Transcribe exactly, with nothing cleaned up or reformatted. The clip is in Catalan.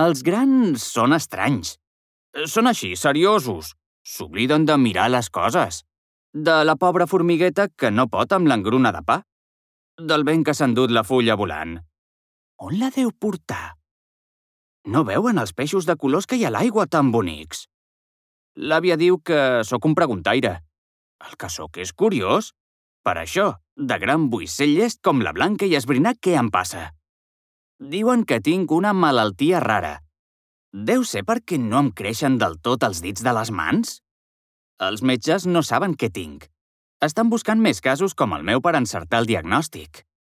Els grans són estranys. Són així, seriosos. S'obliden de mirar les coses. De la pobra formigueta que no pot amb l'engruna de pa. Del vent que s'ha endut la fulla volant. On la deu portar? No veuen els peixos de colors que hi ha a l'aigua tan bonics? L'àvia diu que sóc un preguntaire. El que sóc és curiós. Per això, de gran vull ser llest com la Blanca i esbrinar què em passa. Diuen que tinc una malaltia rara. Deu ser perquè no em creixen del tot els dits de les mans? Els metges no saben què tinc. Estan buscant més casos com el meu per encertar el diagnòstic.